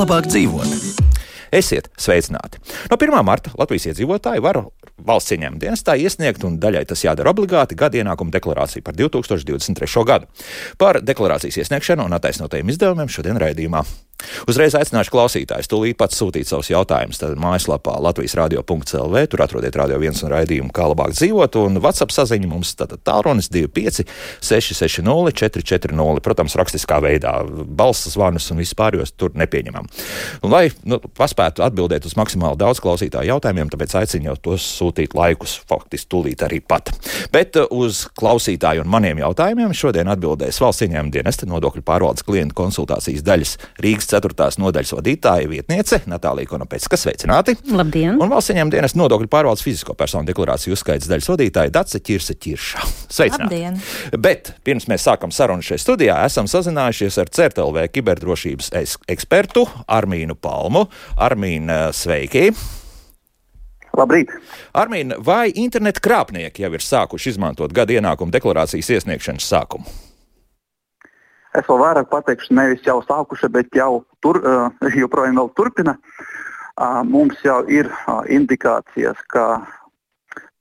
labāk dzīvot. Esiet sveicināti! No 1. marta Latvijas iedzīvotāji var valsts ieņēmuma dienestā iesniegt, un daļai tas jādara obligāti, gada ienākuma deklarāciju par 2023. gadu. Par deklarācijas iesniegšanu un attaisnotajiem izdevumiem šodien raidījumā. Uzreiz aicināšu klausītājus tūlīt pats sūtīt savus jautājumus. Tad mājaslapā latvijasradio.lv, tur atrodiet Radio 1 un raidījumu Kā labāk dzīvot, un WhatsApp saziņa mums tātad tālrunis 25 660 440. Protams, rakstiskā veidā, balss zvanus un viss pārējos tur nepieņemam. Un, lai paspētu atbildēt uz maksimāli daudz klausītāju jautājumiem, tāpēc aicinu jau tos sūtīt laikus, faktiski tūlīt arī pat. Bet uz klausītāju un maniem jautājumiem šodien atbildēs Valsts ieņēmuma dienesta nodokļu pārvaldes klientu konsultācijas daļas Rīgas 4. nodaļas vadītāja vietniece Natālija Konopecka. Sveicināti! Labdien! Un Valsts ieņēmuma dienesta nodokļu pārvaldes fizisko personu deklarāciju uzskaits daļas vadītāja Dace Ķirsa. Sveicināti! Labdien! Bet pirms mēs sākam sarunu šajā studijā, esam sazinājušies ar CERT.lv kiberdrošības ekspertu Armīnu Palmu. Armīna, sveiki! Labrīt! Armīna, vai interneta krāpnieki jau ir sākuši izmantot gada ienākuma deklarācijas iesniegšanas sākumu? Es vēl vairāk pateikšu, nevis jau sākuši, bet jau joprojām vēl turpina. Mums jau ir indikācijas, ka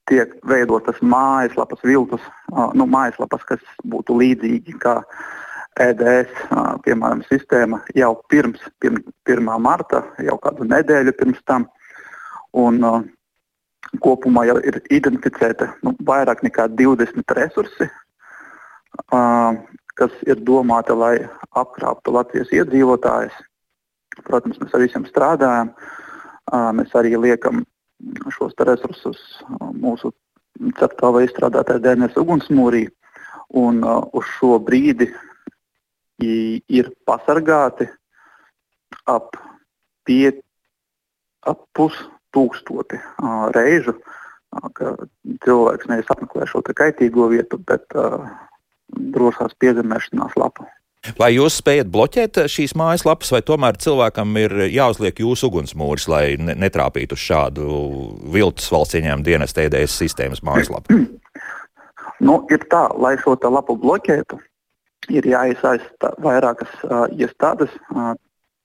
tiek veidotas mājaslapas viltus, mājaslapas, kas būtu līdzīgi kā EDS, piemēram, sistēma jau pirms 1. marta, jau kādu nedēļu pirms tam. Un kopumā jau ir identificēta vairāk nekā 20 resursi, kas ir domāti, lai apkrāptu Latvijas iedzīvotājus. Protams, mēs ar visiem strādājam. Mēs arī liekam šos resursus mūsu CERT.lv izstrādātajā DNS ugunsmūrī. Un uz šo brīdi ir pasargāti ap 5000 reižu, ka cilvēks nevis apmeklē šo kaitīgo vietu, bet drošās piezemēšanās lapu. Vai jūs spējat bloķēt šīs mājaslapas, vai tomēr cilvēkam ir jāuzliek jūsu ugunsmūris, lai netrāpītu uz šādu viltus valsts ieņēmuma dienesta EDS sistēmas mājaslapu? Ir tā, lai šo lapu bloķētu, ir jāiesaista vairākas iestādes,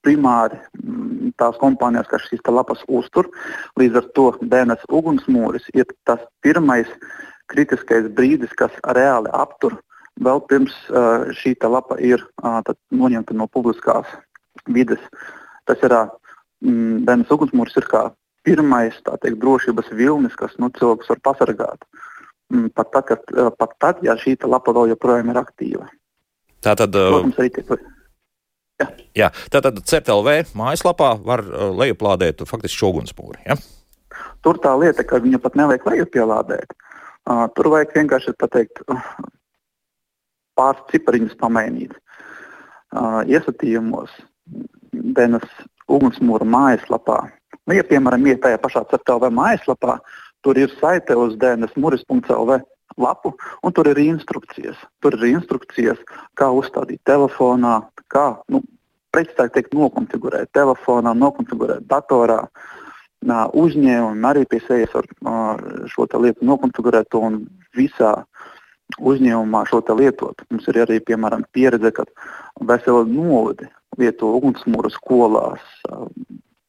primāri tās kompānijas, kas šīs lapas uztur. Līdz ar to DNS ugunsmūris ir tas pirmais kritiskais brīdis, kas reāli aptur. Vēl pirms šī lapa ir noņemta no publiskās vides. Tas ir DNS ugunsmūris ir kā pirmais drošības vilnis, kas cilvēks var pasargāt. Pat tad, ja šī lapa vēl joprojām ir aktīva. Tātad, protams, arī tiek... Jā, tātad CERT.lv mājaslapā var lejuplādēt faktiski šo ugunsmūri, ja? Tur tā lieta, ka viņu pat nevajag lejupielādēt. Tur vajag vienkārši pateikt pāris cipariņus pamainīt. Iesatījumos DNS ugunsmūra mājaslapā. Ja, piemēram, ir tajā pašā CERT.lv mājaslapā, tur ir saite uz dnsmuris.lv lapu, un tur ir instrukcijas. Tur ir instrukcijas, kā uzstādīt telefonā, kā, precīzāk teikt, nokonfigurēt telefonā, nokonfigurēt datorā. Uzņēmumi arī pie sejas var šo lietu nokonfigurēt un visā uzņēmumā šo lietot. Mums ir arī, piemēram, pieredze, ka vesela novadi lieto ugunsmūru skolās,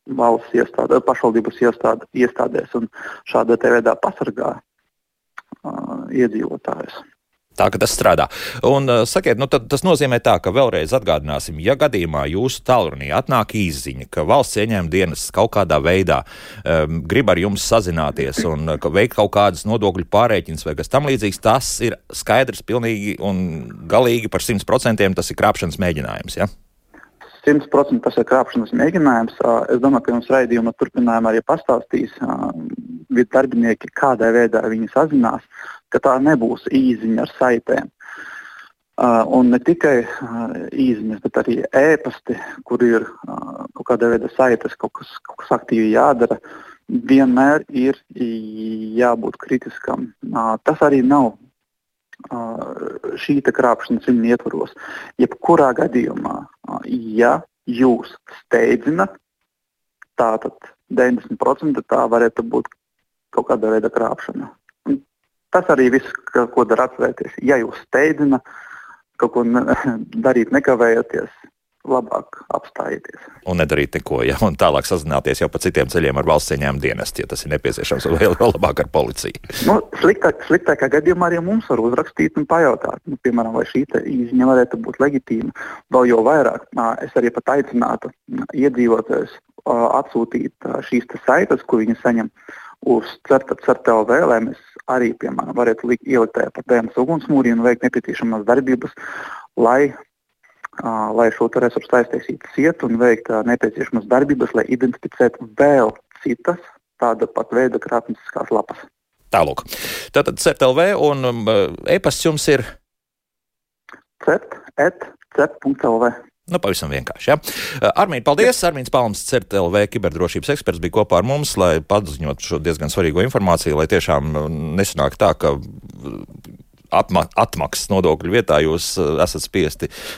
valsts iestāde, pašvaldības iestādēs un šādā veidā pasargā iedzīvotājus. Tā, ka tas strādā. Un sakiet, tad tas nozīmē tā, ka vēlreiz atgādināsim, ja gadījumā jūsu tālrunī atnāk īsziņa, ka valsts ieņēmuma dienests kaut kādā veidā grib ar jums sazināties un veikt kaut kādas nodokļu pārēķinas vai kas tam līdzīgs, tas ir skaidrs pilnīgi un galīgi par 100% tas ir krāpšanas mēģinājums, ja? 100% tas ir krāpšanas mēģinājums. Es domāju, ka jums raidījuma turpinājumā arī pastāstīs darbinieki, kādā veidā viņi sazinās, ka tā nebūs īsziņa ar saitēm. Un ne tikai īsziņas, bet arī ēpasti, kur ir kaut kādā veidā saites, kaut kas aktīvi jādara, vienmēr ir jābūt kritiskam. Tas arī nav šī krāpšanas viņa ietvaros. Jebkurā gadījumā, ja jūs steidzinat, tātad 90% tā varētu būt kaut kāda veida krāpšana. Tas arī viss, ko dara atcerēties. Ja jūs steidzina, kaut ko darīt nekavējoties, labāk apstājieties. Un nedarīt neko, ja, un tālāk sazināties jau pa citiem ceļiem ar valsts ieņēmumu dienestu, ja tas ir nepieciešams, un vēl labāk ar policiju. Sliktākā gadījumā arī mums var uzrakstīt un pajautāt, piemēram, vai šī īziņa varētu būt leģitīma. Vēl jau vairāk, es arī pat aicinātu iedzīvotājus atsūtīt šīs saites, ko viņi saņem uz CERT.LV, lai mēs arī, piemēram, varētu ielikt tajā par DNS ugunsmūri un veikt nepieciešamās darbības, lai šo resursu aiztaisītu ciet un veikt nepieciešamas darbības, lai identificētu vēl citas tāda pat veida krāpnieciskās lapas. Tālūk. Tātad CERT.LV un e-pasts jums ir? CERT.LV. Pavisam vienkārši, ja. Armīn, paldies! Armīns Palms, CERT.LV kiberdrošības eksperts, bija kopā ar mums, lai paziņotu šo diezgan svarīgo informāciju, lai tiešām nesanāk tā, ka atmaksas nodokļu vietā jūs esat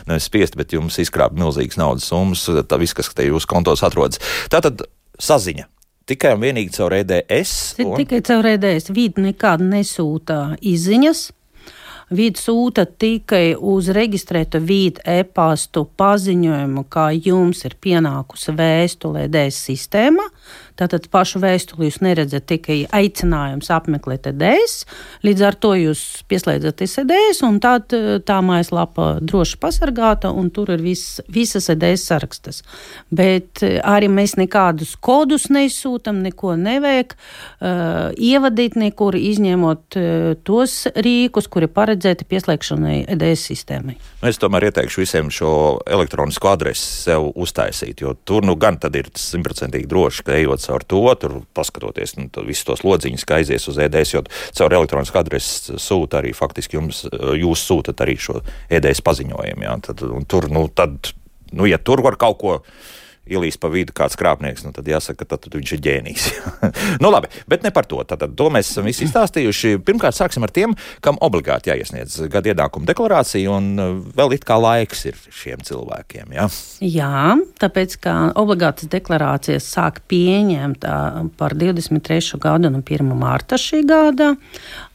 nevis spiesti, bet jums izkrāp milzīgas naudas summas, tā viss, kas te jūsu kontos atrodas. Tātad saziņa. Tikai un vienīgi caur EDS? Tikai caur EDS. Vīd nekāda nesūta izziņas. Vīd sūta tikai uz reģistrētu vīd e-pastu paziņojumu, kā jums ir pienākusi vēstule EDS sistēmā. Tātad pašu vēstuli jūs neredzat, tikai aicinājums apmeklēt EDS. Līdz ar to jūs pieslēdzaties EDS, un tad tā mājaslapa droši pasargāta, un tur ir visas EDS sarakstas. Bet arī mēs nekādus kodus nesūtam, neko nevajag ievadīt nekur, izņemot tos rīkus, kuri paredzēti pieslēgšanai EDS sistēmai. Es tomēr ieteikšu visiem šo elektronisko adresi sev uztaisīt, jo tur gan tad ir 100% droši, ka ejot caur to, tur paskatoties visus tos lodziņus, kā aizies uz EDS, jo caur elektronisku adresi sūta arī faktiski jūs sūtat arī šo EDS paziņojumu. Jā. Ja tur var kaut ko ielīst pa vidu kāds krāpnieks, tad jāsaka, ka tad viņš ir ģēnijs. Labi, bet ne par to. Tātad to mēs esam visi izstāstījuši. Pirmkārt, sāksim ar tiem, kam obligāti jāiesniedz gada ienākuma deklarācija, un vēl it kā laiks ir šiem cilvēkiem, jā? Jā, tāpēc, ka obligātas deklarācijas sāk pieņemt par 23. gadu un 1. mārta šī gada,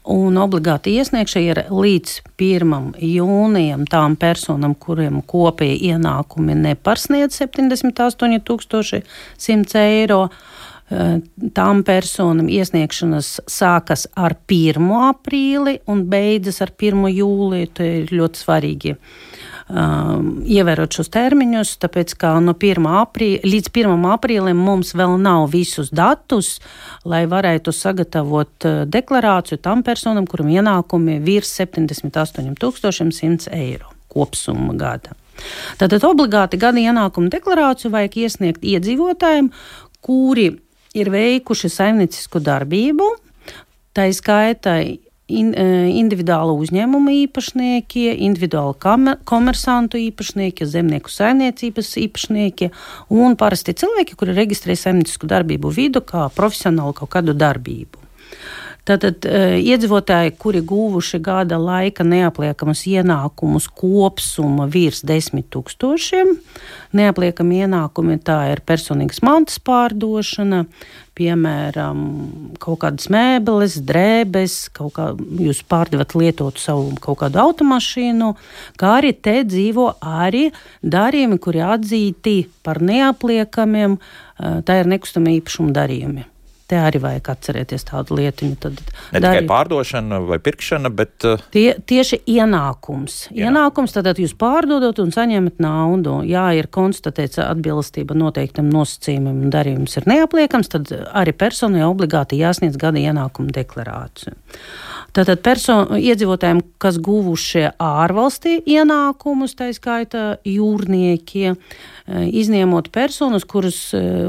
un obligāti iesniegšana ir līdz 1. jūnijam tām personām, kuriem kopēji ienākumi nepārsniedz 78 100 eiro. Tām personām iesniegšanas sākas ar 1. aprīli un beidzas ar 1. jūliju. Tā ir ļoti svarīgi ievērot šos termiņus, tāpēc, ka no 1. līdz 1. aprīlim mums vēl nav visus datus, lai varētu sagatavot deklarāciju tam personam, kuram ienākumi virs 78 100 eiro kopsumma gada. Tātad obligāti gada ienākuma deklarāciju vajag iesniegt iedzīvotājiem, kuri ir veikuši saimniecisku darbību, tā skaitā individuāla uzņēmuma īpašnieki, individuāla komersantu īpašnieki, zemnieku saimniecības īpašnieki un parasti cilvēki, kuri reģistrē saimniecisku darbību vidu kā profesionālu kaut kādu darbību. Tātad iedzīvotāji, kuri guvuši gada laika neapliekamas ienākumus kopsumma virs 10 000, neapliekami ienākumi tā ir personīgas mantas pārdošana, piemēram, kaut kādas mēbeles, drēbes, jūs pārdevat lietotu savu kaut kādu automašīnu, kā arī te dzīvo arī darījumi, kuri atzīti par neapliekamiem, tā ir nekustamā īpašuma darījumi. Te arī vajag atcerēties tādu lietiņu. Ne tikai pārdošana vai pirkšana, bet... Tieši ienākums. Ienākums, tad jūs pārdodot un saņemat naudu. Jā, ir konstatēts atbilstība noteiktam nosacījumam un darījums ir neapliekams, tad arī personai obligāti jāsniedz gada ienākuma deklarāciju. Tātad iedzīvotājiem, kas guvušie ārvalstī ienākumus, tā skaitā jūrnieki, izņemot personas, kuras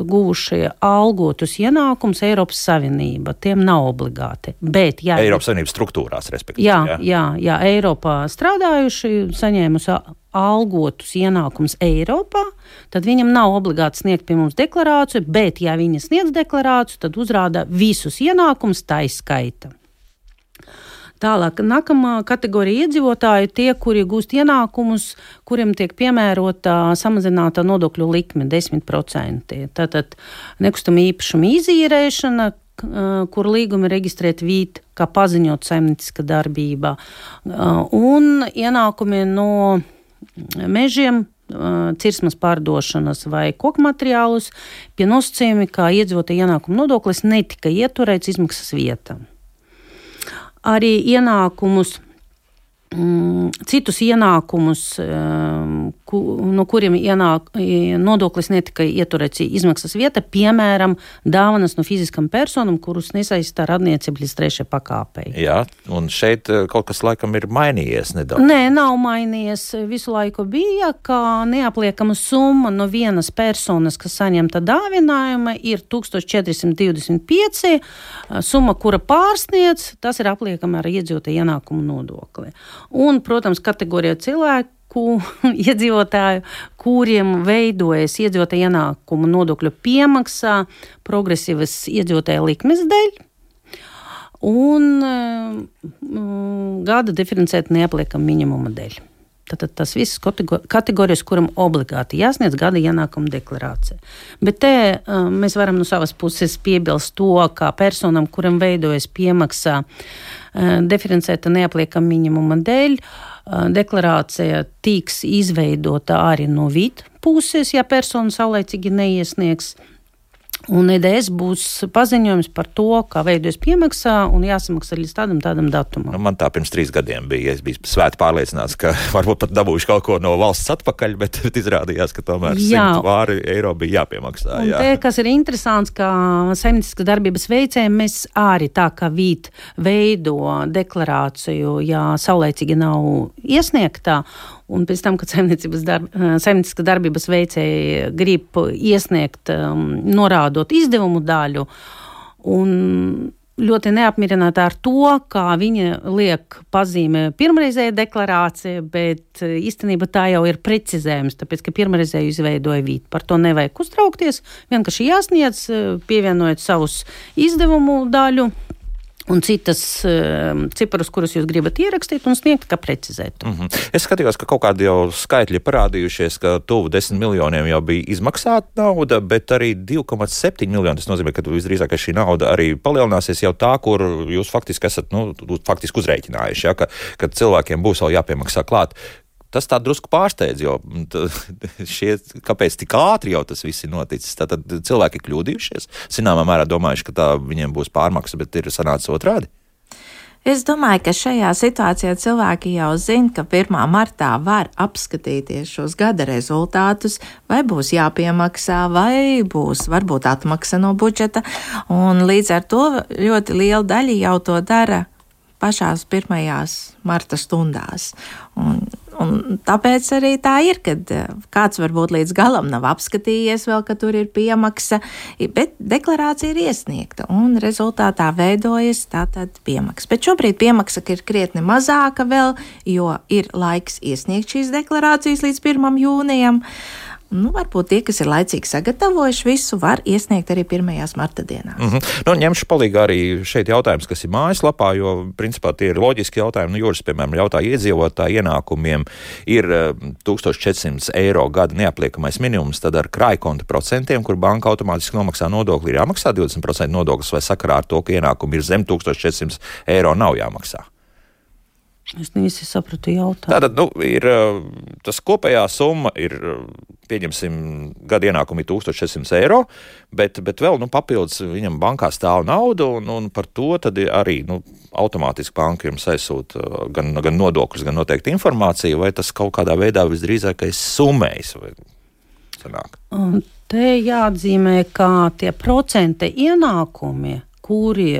guvušie algotus ienākumus Eiropas Savienība, tiem nav obligāti. Bet, Eiropas Savienības struktūrās, respektīvi. Jā, Eiropā strādājuši, saņēmusi algotus ienākumus Eiropā, tad viņam nav obligāti sniegt pie mums deklarāciju, bet, ja viņi sniedz deklarāciju, tad uzrāda visus ienākumus tā izskaita. Tālāk, nākamā kategorija iedzīvotāju tie, kuri gūst ienākumus, kuriem tiek piemērota samazināta nodokļu likme 10%. Tātad nekustamā īpašuma izīrēšana, kur līgumi reģistrēt vīt, kā paziņot saimnieciska darbība, un ienākumi no mežiem, cirsmas pārdošanas vai koku materiālus, pie nosacījumi, kā iedzīvotāju ienākumu nodoklis netika ieturēts izmaksas vietā. Arī citus ienākumus, no kuriem nodoklis netika ieturēts izmaksas vieta, piemēram, dāvanas no fiziskam personam, kurus nesaistā radniecība līdz 3. pakāpei. Jā, un šeit kaut kas laikam ir mainījies nedaudz. Nē, nav mainījies. Visu laiku bija, ka neapliekama summa no vienas personas, kas saņemta dāvinājuma, ir 1425, summa, kura pārsniedz, tas ir apliekama ar iedzīvotāju ienākumu nodokli. Un, protams, kategorija cilvēku iedzīvotāju, kuriem veidojas iedzīvotāju ienākumu nodokļu piemaksā progresīvas iedzīvotāju likmes dēļ un gada diferencēta neapliekama minimuma dēļ. Tātad tas viss kategorijas, kuram obligāti jāsniedz gada ienākuma deklarācija. Bet te mēs varam no savas puses piebilst to, ka personam, kuram veidojas piemaksā diferencēta neapliekama minimuma dēļ, deklarācija tiks izveidota arī no VIT puses, ja persona saulaicīgi neiesniegs. Un EDS būs paziņojums par to, kā veidojas piemaksā un jāsamaksā līdz tādam datumam. Man tā pirms 3 gadiem bija. Es biju svēti pārliecināts, ka varbūt pat dabūjuši kaut ko no valsts atpakaļ, bet izrādījās, ka tomēr 100 vāri eiro bija jāpiemaksā. Un te, kas ir interesants, ka saimnieciskas darbības veicējiem mēs arī tā kā VIT veido deklarāciju, ja saulaicīgi nav iesniegtā. Un pēc tam, kad saimnieciskas darbības veicēji grib iesniegt, norādot izdevumu daļu, un ļoti neapmierināti ar to, kā viņa liek pazīmē pirmreizēja deklarācija, bet īstenībā tā jau ir precizējums, tāpēc, ka pirmreizēju izveidoja VIT. Par to nevajag uztraukties, vienkārši jāsniedz, pievienojot savus izdevumu daļu, un citas ciparus, kurus jūs gribat ierakstīt un sniegt, kā precizēt. Es skatījos, ka kaut kādi jau skaitļi parādījušies, ka tuvu 10 miljoniem jau bija izmaksāta nauda, bet arī 2,7 miljoni. Tas nozīmē, ka visdrīzāk šī nauda arī palielināsies jau tā, kur jūs faktiski esat uzrēķinājuši, ja, ka cilvēkiem būs vēl jāpiemaksā klāt. Tas tā drusku pārsteidz, jo kāpēc tik ātri jau tas viss ir noticis? Tātad cilvēki kļūdījušies, zināmā mērā domājuši, ka tā viņiem būs pārmaksa, bet ir sanācis otrādi. Es domāju, ka šajā situācijā cilvēki jau zina, ka 1. martā var apskatīties šos gada rezultātus, vai būs jāpiemaksā, vai būs varbūt atmaksa no budžeta, un līdz ar to ļoti liela daļa jau to dara pašās 1. marta stundās. Un tāpēc arī tā ir, kad kāds varbūt līdz galam nav apskatījies vēl, ka tur ir piemaksa, bet deklarācija ir iesniegta un rezultātā veidojas tātad piemaksa. Bet šobrīd piemaksa ir krietni mazāka vēl, jo ir laiks iesniegt šīs deklarācijas līdz 1. jūnijam. Varbūt tie, kas ir laicīgi sagatavojuši visu, var iesniegt arī 1. marta dienā. Ņemšu palīgā arī šeit jautājums, kas ir mājaslapā, jo principā tie ir loģiski jautājumi. Jūras, piemēram, jautāja iedzīvotāju ienākumiem ir 1400 eiro gada neapliekamais minimums, tad ar krājkonta procentiem, kur banka automātiski nomaksā nodokli, ir jāmaksā 20% nodoklis, vai sakarā ar to, ka ienākumi ir zem 1400 eiro nav jāmaksā. Es nevis sapratu jautājumu. Tātad, ir tas kopējā summa ir, pieņemsim, gada ienākumi 1400 eiro, bet vēl, papildus viņam bankā stāv nauda, un par to tad arī, automātiski banka jums aizsūta gan nodokļus, gan noteikti informāciju, vai tas kaut kādā veidā visdrīzākais summējas, vai sanāk? Te jāatzīmē, ka tie procenta ienākumi, kuri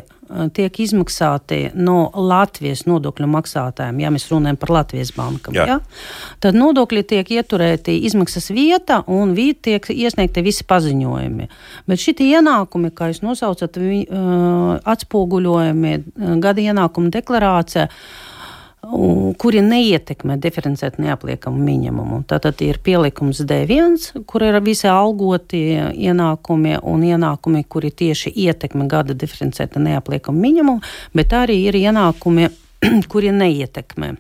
tiek izmaksāti no Latvijas nodokļu maksātājiem, ja mēs runājam par Latvijas bankam, tad nodokļi tiek ieturēti izmaksas vieta un tiek iesniegti visi paziņojumi. Bet šitie ienākumi, kā jūs nosaucat, atspoguļojumi gada ienākuma deklarācija, kuri neietekmē diferencēt neapliekamu minimumu. Tātad ir pielikums D1, kur ir visi algoti ienākumi un ienākumi, kuri tieši ietekmē gada diferencēta neapliekamu minimumu, bet arī ir ienākumi, kuri neietekmē.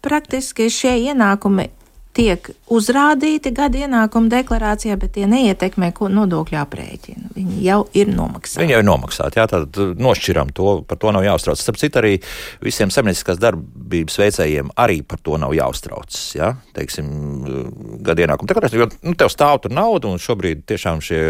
Praktiski šie ienākumi tiek uzrādīti gada ienākuma deklarācijā, bet tie neietekmē nodokļu aprēķinu. Viņi jau ir nomaksāti. Viņi jau ir nomaksāti, jā, tad nošķiram to, par to nav jāuztrauc. Starp citu, arī visiem saimnieciskās darbības veicējiem arī par to nav jāuztrauc, jā, teiksim, gada ienākuma deklarācija, jo tev stāv tur nauda, un šobrīd tiešām šie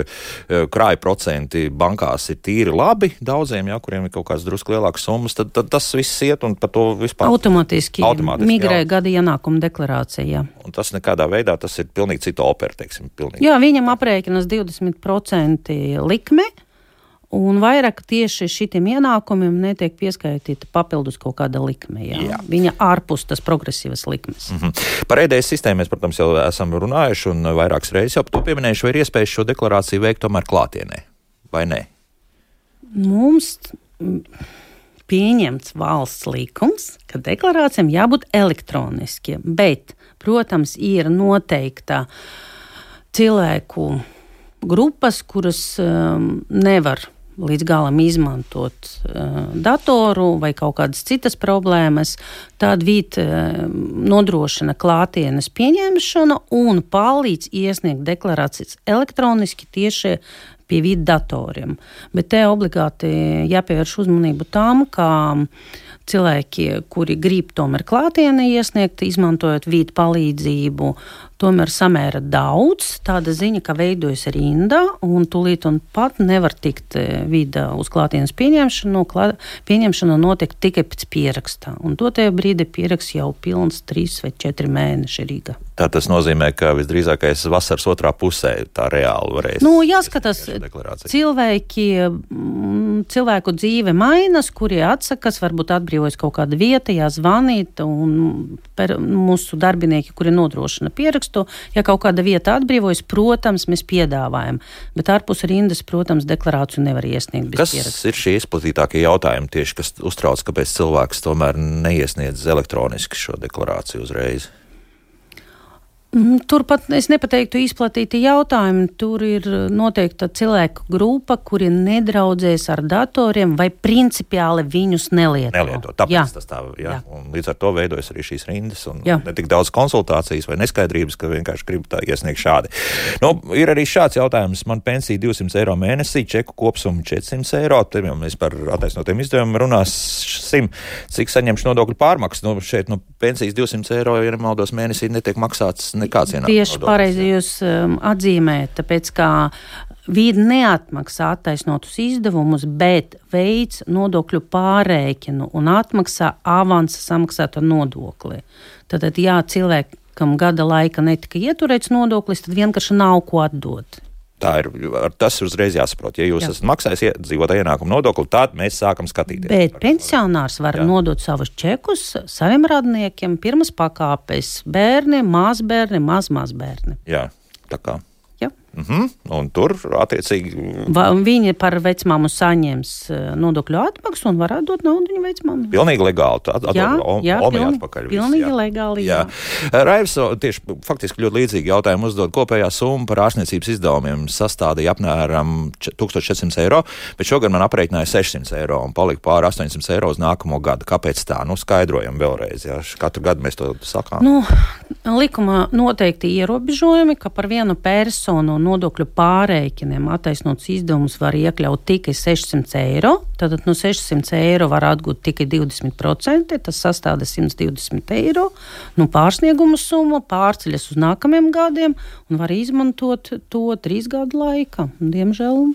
krāja procenti bankās ir tīri labi daudziem, jā, kuriem ir kaut kāds drusku lielāks summas, tad tas viss iet un par to vispār automātiski migrē gada ienākuma deklarācija. Un tas nekādā veidā, tas ir pilnīgi cita opera, teiksim, pilnīgi. Jā, viņam aprēķinas 20% likme, un vairāk tieši šitiem ienākumiem netiek pieskaitīta papildus kaut kāda likme. Jā. Viņa ārpus tas progresīvas likmes. Par EDS sistēmu mēs, protams, jau esam runājuši un vairākas reizes jau to pieminējuši, vai ir iespējas šo deklarāciju veikt tomēr klātienē, vai nē? Mums pieņemts valsts likums, ka deklarācijām jābūt elektroniskiem, bet, protams, ir noteikta cilvēku grupas, kuras nevar līdz galam izmantot datoru vai kaut kādas citas problēmas, tad VIT nodrošina klātienes pieņemšanu un palīdz iesniegt deklarācijas elektroniski tieši pie VIT datoriem. Bet te obligāti jāpievērš uzmanību tām, ka cilvēki, kuri grib tomēr klātienē iesniegt, izmantojot VIT palīdzību, tomēr samēra daudz. Tāda ziņa, ka veidojas rinda, un tūlīt un pat nevar tikt vida uz klātienes pieņemšanu. Pieņemšana notiek tikai pēc pierakstā. Un dotajā brīdī pieraksts jau pilns 3 vai 4 mēneši Rīgā. Tā tas nozīmē, ka visdrīzākais vasaras otrā pusē tā reāli varēs. Jāskatās, cilvēku dzīve mainas, kurie atsakas, varbūt atbrīvojas kaut kāda vieta, jāzvanīt, un mūsu darbinieki, kuri nodrošina pierakstu, ja kaut kāda vieta atbrīvojas, protams, mēs piedāvājam, bet ārpus rindas, protams, deklarāciju nevar iesniegt bez pieraksta. Kas ir šie izplatītākie jautājumi tieši, kas uztrauc, kāpēc cilvēks tomēr neiesniedz elektroniski šo deklarāciju uzreiz? Turpat es nepateiktu izplatīti jautājumi. Tur ir noteikta cilvēku grupa, kuri nedraudzēs ar datoriem vai principiāli viņus nelieto. Tāpēc tas tā, jā. Un līdz ar to veidojas arī šīs rindas un ne tik daudz konsultācijas vai neskaidrības, ka vienkārši grib tā iesniegt šādi. Ir arī šāds jautājums. Man pensija 200 eiro mēnesī, čeku kopsuma 400 eiro. Te jau mēs par attaisnotiem izdevumiem runāsim, cik saņemšu nodokļu pārmaksu. Šeit pensijas 200 eiro, ja nemaldos, mēnesī netiek maksāts nekāds ienākums. Tieši pareizi jūs atzīmējat, tāpēc kā VIT neatmaksā attaisnotus izdevumus, bet veids nodokļu pārrēķinu un atmaksā avansa samaksāto nodokli. Tātad, ja cilvēkam gada laika netika ieturēts nodoklis, tad vienkārši nav ko atdot. Tas uzreiz jāsaprot. Ja jūs esat maksājis iedzīvotāju ienākumu nodokli, tad mēs sākam skatīties. Bet pensionārs var nodot savus čekus saviem radniekiem, pirmas pakāpes bērniem, mazbērniem, mazbērniem. Jā, tā kā. Un tur attiecīgi viņi par vecmāmu saņems nodokļu atmaksu un var atdot naudu viņa vecmāmai. Pilnīgi legāli. Pilnīgi legāli. Jā. Raivs tieši faktiski ļoti līdzīgi jautājumu uzdod. Kopējā summa par ārstniecības izdevumiem sastādīja apmēram 1400 eiro, bet šogad man aprēķināja 600 eiro un palika pāri 800 eiro uz nākamo gadu. Kāpēc tā? Skaidrojam vēlreiz. Jā. Katru gadu mēs to sakām. Likuma noteikti ierobežojumi, ka par vienu personu nodokļu pārrēķiniem attaisnots izdevumus var iekļaut tikai 600 eiro. Tātad no 600 eiro var atgūt tikai 20%, tas sastāda 120 eiro. Pārsnieguma summa pārceļas uz nākamajiem gadiem un var izmantot to 3 gadu laika. Diemžēl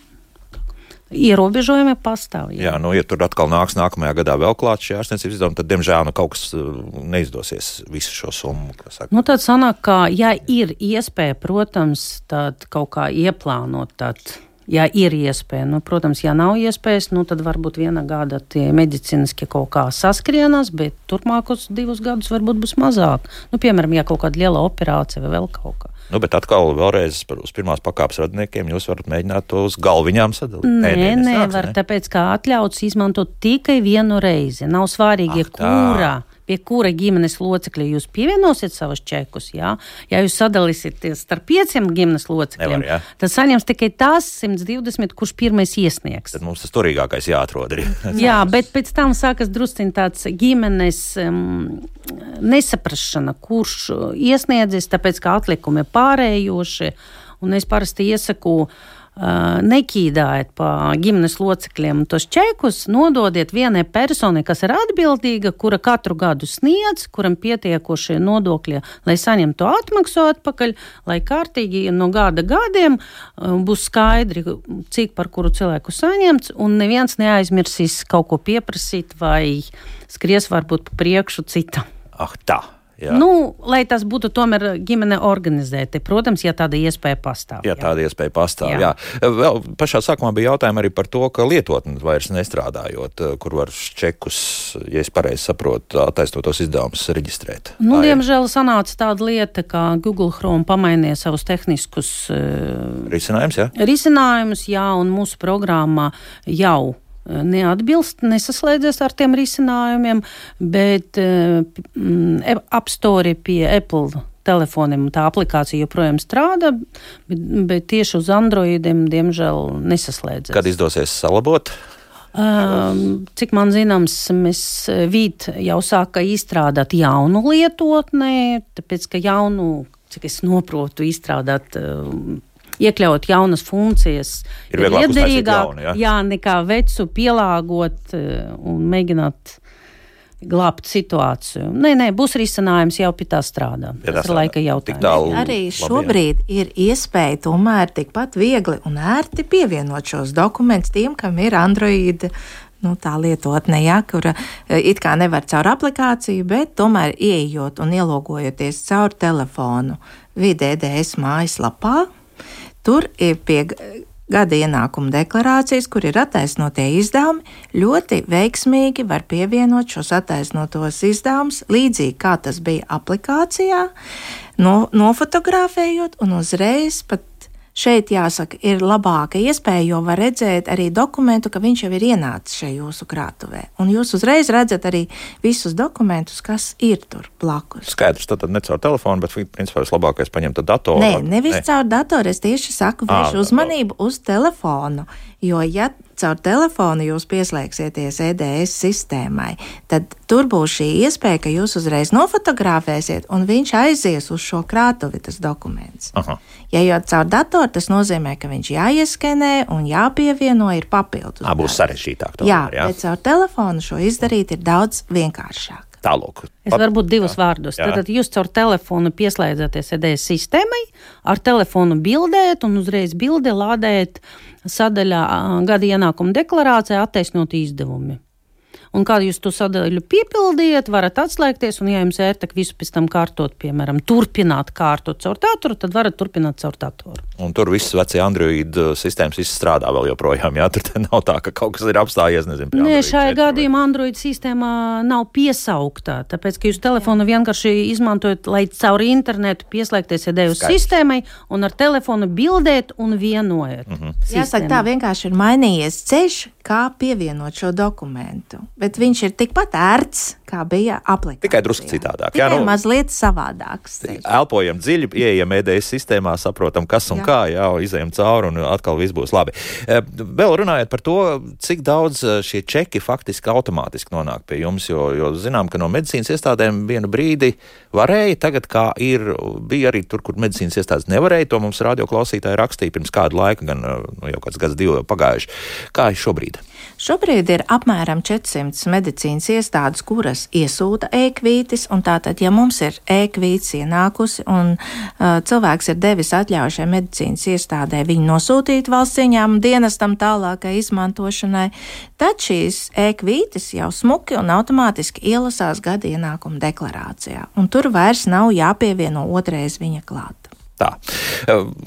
ierobežojumi pastāv. Jā, ja tur atkal nāks nākamajā gadā vēl klāt šie ārstniecības izdevumi, tad, diemžēl, kaut kas neizdosies visu šo summu. Tad sanāk, ka, ja ir iespēja, protams, tad kaut kā ieplānot, tad, ja ir iespēja, protams, ja nav iespējas, tad varbūt viena gada tie medicīniski kaut kā saskrienās, bet turpmākos 2 gadus varbūt būs mazāk. Piemēram, ja kaut kāda liela operācija vai vēl kaut kā. Bet atkal vēlreiz uz pirmās pakāpes radniekiem jūs varat mēģināt to uz galviņām sadalīt. Nevar, tāpēc kā atļauts izmantot tikai vienu reizi. Nav svarīgi, kurā pie kura ģimenes locekļa jūs pievienosiet savus čekus, jā. Ja jūs sadalīsieties starp 5 ģimenes locekļiem, tad saņems tikai tās 120, kurš pirmais iesniegs. Tad mums tas turīgākais jāatrod arī. Jā, bet pēc tam sākas drusciņ tāds ģimenes nesaprašana, kurš iesniedzis, tāpēc, ka atlikumi ir pārējoši, un es parasti iesaku nekīdājiet pa ģimenes locekļiem tos čekus, nododiet vienai personai, kas ir atbildīga, kura katru gadu sniedz, kuram pietiekošie nodokļi, lai saņem to atmaksu atpakaļ, lai kārtīgi no gada gadiem būs skaidri, cik par kuru cilvēku saņemts, un neviens neaizmirsīs kaut ko pieprasīt vai skries varbūt pa priekšu citam. Tā. Jā. Lai tas būtu tomēr ģimene organizēti. Protams, ja tāda iespēja pastāv. Ja tāda iespēja pastāv, jā. Vēl pašā sākumā bija jautājumi arī par to, ka lietotni vairs nestrādājot, kur var čekus, ja es pareizi saprotu, attaisnotos izdevumus reģistrēt. Diemžēl sanāca tāda lieta, ka Google Chrome pamainīja savus tehniskus risinājumus, un mūsu programmā jau nesaslēdzies ar tiem risinājumiem, bet App Store pie Apple telefoniem tā aplikācija joprojām strādā, bet tieši uz Androidiem, diemžēl, nesaslēdzies. Kad izdosies salabot? Cik man zināms, mēs Vīt jau sāka izstrādāt jaunu lietotni, tāpēc, ka cik es noprotu, izstrādāt iekļaut jaunas funkcijas ir liederīgāk, nekā vecu pielāgot un mēģināt glābt situāciju. Nē, būs risinājums, jau pie tā strādā. Tas ir laika jautājums. Arī šobrīd ir iespēja tomēr tikpat viegli un ērti pievienot šos dokumentus tiem, kam ir Android tā lietotne, kura it kā nevar caur aplikāciju, bet tomēr ieejot un ielogojoties caur telefonu VDDS mājaslapā. Tur ir pie gada ienākuma deklarācijas, kur ir attaisnotie izdevumi, ļoti veiksmīgi var pievienot šos attaisnotos izdevumus, līdzīgi kā tas bija aplikācijā, nofotografējot un uzreiz pat šeit, jāsaka, ir labāka iespēja, jo var redzēt arī dokumentu, ka viņš jau ir ienācis šajā jūsu krātuvē. Un jūs uzreiz redzat arī visus dokumentus, kas ir tur blakus. Skaidrs, tad ne caur telefonu, bet principā vislabākais paņemt datoru. Nevis caur datoru, es tieši saku, vērš uzmanību uz telefonu, jo ja caur telefonu jūs pieslēgsieties EDS sistēmai, tad tur būs šī iespēja, ka jūs uzreiz nofotografēsiet un viņš aizies uz šo krātuvi, tas dokuments. Ja jau caur datoru, tas nozīmē, ka viņš jāieskenē un jāpievieno ir papildus. Būs sarežģītāk. Jā, bet caur telefonu šo izdarīt ir daudz vienkāršāk. Tālūk. Es varbūt divus vārdus. Tad jūs caur telefonu pieslēdzaties EDS sistēmai, ar telefonu bildēt un uzreiz bildi lādēt sadaļā gada ienākuma deklarācijā attaisnot izdevumi. Un kā jūs to sadaļu piepildiet, varat atslēgties, un ja jums ērtāk visu pēc tam kārtot, piemēram, turpināt kārtot caur datoru, tad varat turpināt caur datoru. Un tur viss vecie Android sistēmas viss strādā vēl joprojām, tur nav tā, ka kaut kas ir apstājies, nezinu. Nē, šajā gadījumā Android sistēmā nav piesauktā, tāpēc, ka jūs telefonu vienkārši izmantojat, lai caur internetu pieslēgties EDS sistēmai un ar telefonu bildēt un vienojat. Jāsaka, tā vienkārši ir mainījies ceļš, kā pievienot šo dokumentu. Bet viņš ir tikpat ērts, kā bija aplikācijā. Tikai drusku citādāk. Tikai mazliet savādāks. Elpojam dziļi, ieejam EDS sistēmā, saprotam, kas un kā, izejam cauri un atkal viss būs labi. Vēl runājot par to, cik daudz šie čeki faktiski automātiski nonāk pie jums, jo zinām, ka no medicīnas iestādēm vienu brīdi varēja, tagad kā bija arī tur, kur medicīnas iestādes nevarēja, to mums radioklausītāji rakstīja pirms kādu laiku, gan jau kāds gads 2 jau pagājuši. Kā ir šobrīd? Šobrīd ir apmēram 400 medicīnas iestādes, kuras iesūta e-kvītis, un tātad, ja mums ir e-kvītis ienākusi un cilvēks ir devis atļauju šai medicīnas iestādē viņu nosūtīt valsts ieņēmuma dienestam tālākai izmantošanai, tad šīs e-kvītis jau smuki un automātiski ielasās gada ienākuma deklarācijā, un tur vairs nav jāpievieno otrais viņa klāt. Tā.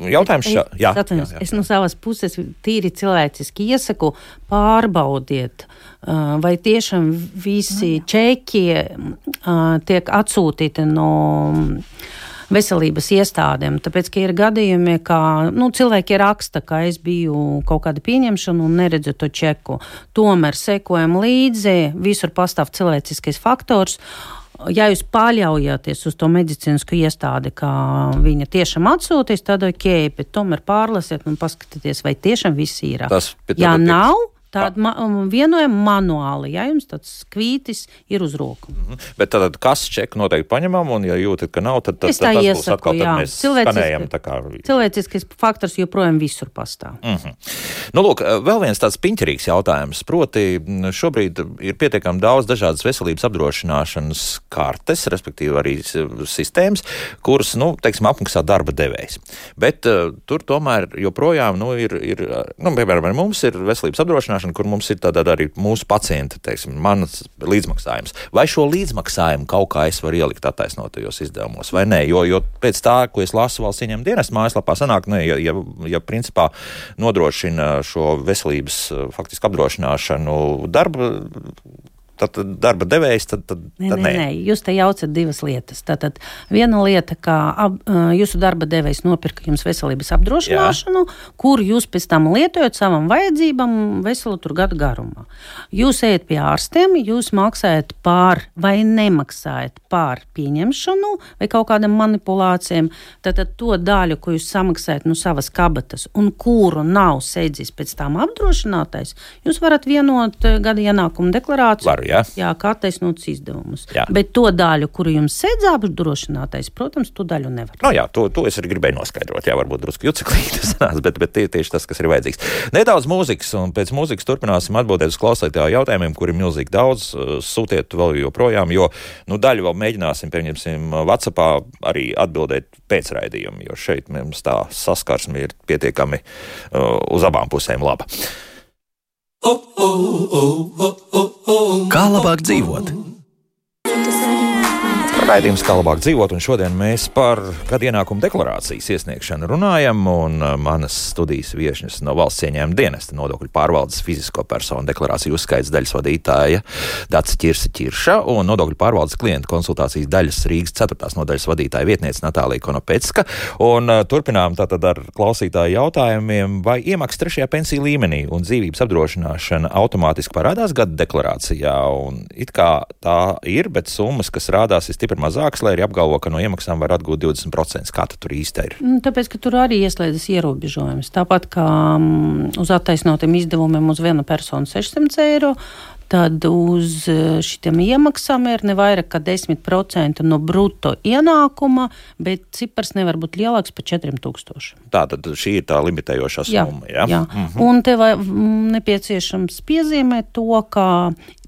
Jautājums Es no savas puses tīri cilvēciski iesaku pārbaudiet, vai tiešām visi čeki tiek atsūtīti no veselības iestādēm, tāpēc, ka ir gadījumi, ka cilvēki raksta, ka es biju kaut kāda pieņemšana un neredzu to čeku. Tomēr sekojam līdzi, visur pastāv cilvēciskais faktors. ja jūs paļaujaties uz to medicīnisku iestādi, ka viņa tiešām atsūtīs, tad ok, bet tomēr pārlasiet un paskatieties, vai tiešām viss ir. Ja nav, tad vienojam manuāli, ja jums tāds kvītis ir uz roku. Bet tad kas čeku noteikti paņemam, un ja jūtat, ka nav, tad tas būs atkal, tad mēs skanējam. Cilvēciskais faktors joprojām visur pastāv. Nu, lūk, vēl viens tāds piņķerīgs jautājums, proti šobrīd ir pietiekami daudz dažādas veselības apdrošināšanas kartes, respektīvi arī sistēmas, kuras, teiksim, apmaksā darba devējs. Bet tur tomēr joprojām, piemēram, mums ir veselības apdrošināšana, kur mums ir tāda arī mūsu pacienta, teiksim, manas līdzmaksājums. Vai šo līdzmaksājumu kaut kā es varu ielikt attaisnotajos izdevumos, vai nē? Jo pēc tā, ko es lasu valsts ieņēmuma dienesta mājaslapā, sanāk, ja principā nodrošina šo veselības faktiski apdrošināšanu darba devējs, tad nē. Jūs te jaucat divas lietas. Tātad viena lieta, ka jūsu darba devējs nopirka jums veselības apdrošināšanu, kur jūs pēc tam lietojat savam vajadzībam veselu tur gadu garumā. Jūs ejat pie ārstiem, jūs maksājat pār vai nemaksājat pār pieņemšanu vai kaut kādam manipulācijām. Tātad to daļu, ko jūs samaksājat no savas kabatas un kuru nav sēdzis pēc tam apdrošinātais, jūs varat vienot gada ienākumu deklarāciju. Jā, kā attaisnotas izdevumus. Jā. Bet to daļu, kuru jums sēdz apdrošinātais, protams, to daļu nevar. To es arī gribēju noskaidrot. Jā, varbūt drusku juceklīgi tas nāc, bet tieši tas, kas ir vajadzīgs. Nedaudz mūzikas, un pēc mūzikas turpināsim atbildēt uz klausītāju jautājumiem, kur ir milzīgi daudz. Sūtiet vēl joprojām, jo daļu vēl mēģināsim, pieņemsim, WhatsAppā arī atbildēt pēc raidījuma, jo šeit mums tā saskarsme ir pietiekami uz abām pusēm laba. Kā labāk dzīvot? Raidījums Kā labāk dzīvot, un šodien mēs par gada ienākumu deklarācijas iesniegšanu runājam, un manas studijas viešņas no valsts ieņēmuma dienesta nodokļu pārvaldes fizisko personu deklarāciju uzskaits daļas vadītāja Dace Ķirsa un nodokļu pārvaldes klientu konsultācijas daļas Rīgas 4. nodaļas vadītāja vietniece Natālija Konopecka, un turpinām tātad ar klausītāju jautājumiem, vai iemaksas 3. pensiju līmenī un dzīvības apdrošināšana automātiski parādās gada deklarācijā, un it kā tā ir, bet summas, kas rādās, ir stipri mazāks, lai arī apgalvo, ka no iemaksām var atgūt 20%. Kā tur īsti ir? Tāpēc, ka tur arī ieslēdzas ierobežojums. Tāpat kā uz attaisnotiem izdevumiem uz vienu personu 600 eiro, tad uz šitiem iemaksām ir ne vairāk kā 10% no bruto ienākuma, bet cipars nevar būt lielāks par 4000. Tātad šī ir tā limitējošā summa, jā? Un te nepieciešams piezīmēt to, ka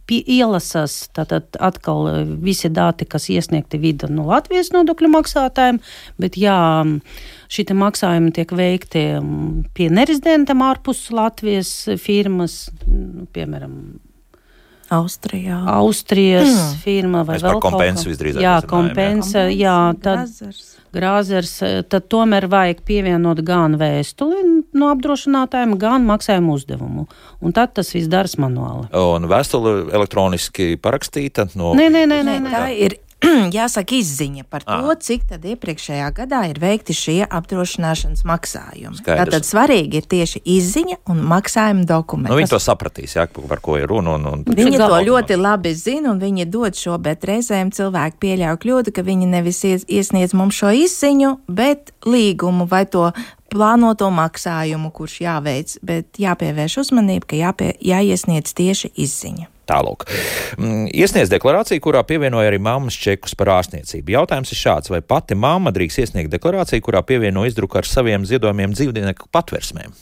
ielasās tātad atkal visi dati, kas iesniegti vidu no Latvijas nodokļu maksātājiem, bet šitie maksājumi tiek veikti pie nerezidentam ārpus Latvijas firmas, piemēram, Austrijas firma vai vēl kaut kā. Kompensa visdrīzāk. Jā, kompensa, Grāzers, tad tomēr vajag pievienot gan vēstuli no apdrošinātājiem, gan maksājumu uzdevumu. Un tad tas viss daras manuāli. Un vēstuli elektroniski parakstīta? Nē, tā ir. Jāsaka izziņa par to, cik tad iepriekšējā gadā ir veikti šie apdrošināšanas maksājumi. Skaidrs. Tātad svarīgi ir tieši izziņa un maksājuma dokumenti. Viņi to sapratīs, par ko ir runa. Viņi to ļoti labi zina un viņi dod šo, bet reizēm cilvēki pieļauj kļūdu, ka viņi nevis iesniedz mums šo izziņu, bet līgumu vai to plānoto maksājumu, kurš jāveic, bet jāpievērš uzmanību, ka jāiesniedz tieši izziņa. Tālūk. Iesniedz deklarāciju, kurā pievienoja arī mammas čekus par ārstniecību. Jautājums ir šāds, vai pati mamma drīkst iesniegt deklarāciju, kurā pievieno izdruku ar saviem ziedojumiem dzīvnieku patversmēm?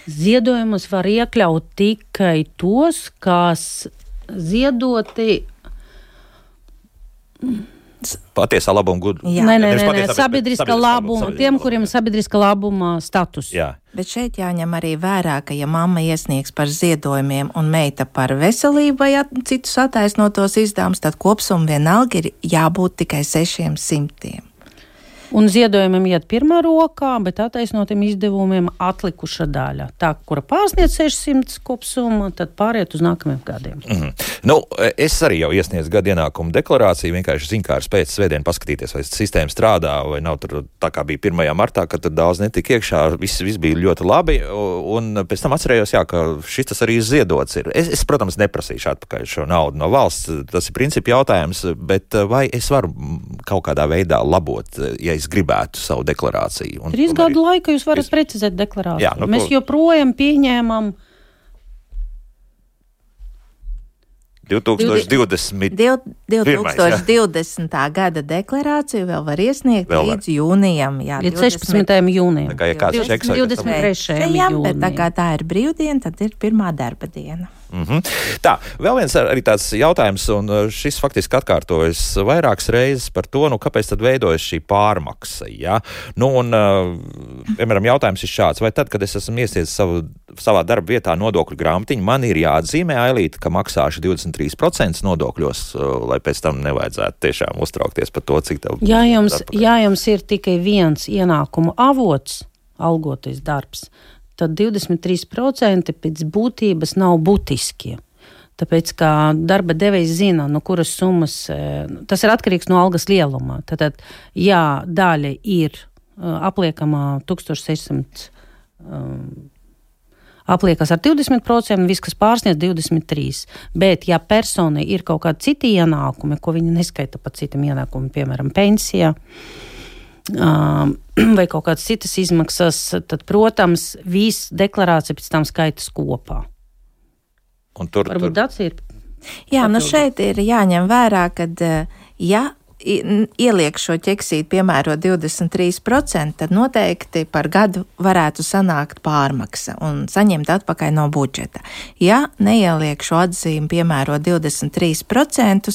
Ziedojumus var iekļaut tikai tos, kas ziedoti patiesā labuma gudu. Nē, sabiedriska labuma, tiem, kuriem sabiedriska labuma status. Jā. Bet šeit jāņem arī vērā, ka ja mamma iesniegs par ziedojumiem un meita par veselību vai citus attaisnotos izdevumus, tad kopsumma vienalga ir jābūt tikai 600. Un ziedojumam iet pirmā rokā, bet attaisnotiem izdevumiem atlikuša daļa. Tā, kura pārsniedz 600 kopsumma, tad pāriet uz nākamajiem gadiem. Nu, es arī jau iesniedzu gada ienākumu deklarāciju, vienkārši ziņkārs pēc svētdien paskatīties, vai sistēma strādā, vai nav tur tā kā bija 1. martā, kad tur daudz netika iekšā, viss bija ļoti labi, un pēc tam atcerējos, jā, ka šis tas arī ziedots ir. Es, protams, neprasīšu atpakaļ šo naudu no valsts, tas ir principi jautājums, bet vai es varu kaut kādā veidā labot, ja es gribētu savu deklarāciju? 3 gadu laika jūs varat precizēt deklarāciju. Jā, nu, mēs joprojām pieņēmam 2020. Gada deklarāciju vēl var iesniegt līdz jūnijam. Jā, līdz 16. jūnijam. Tā kā ja kāds čeks 23. jūnijam. Bet tā kā tā ir brīvdiena, tad ir pirmā darba diena. Tā, vēl viens arī tāds jautājums, un šis faktiski atkārtojas vairākas reizes par to, kāpēc tad veidojas šī pārmaksa, ja? Piemēram, jautājums ir šāds, vai tad, kad es esmu iesniedzis savā darba vietā nodokļu grāmatiņu, man ir jāatzīmē, Ailīte, ka maksāšu 23% nodokļos, lai pēc tam nevajadzētu tiešām uztraukties par to, cik tev... Ja jums ir tikai viens ienākumu avots, algotais darbs, tad 23% pēc būtības nav būtiskie. Tāpēc, kā darba devējs zina, no kuras summas, tas ir atkarīgs no algas lielumā. Tātad, ja daļa ir apliekamā 1600, apliekas ar 20%, viss, kas pārsniedz 23%. Bet, ja persona ir kaut kādi citi ienākumi, ko viņa neskaita par citiem ienākumiem, piemēram, pensijā, vai kaut kādas citas izmaksas, tad, protams, viss deklarācija pēc tam skaitas kopā. Un varbūt tāds ir. Jā, šeit ir jāņem vērā, kad, ja ieliek šo ķeksīti, piemēro 23%, tad noteikti par gadu varētu sanākt pārmaksa un saņemt atpakaļ no budžeta. Ja neieliek šo atzīmi, piemēro 23%,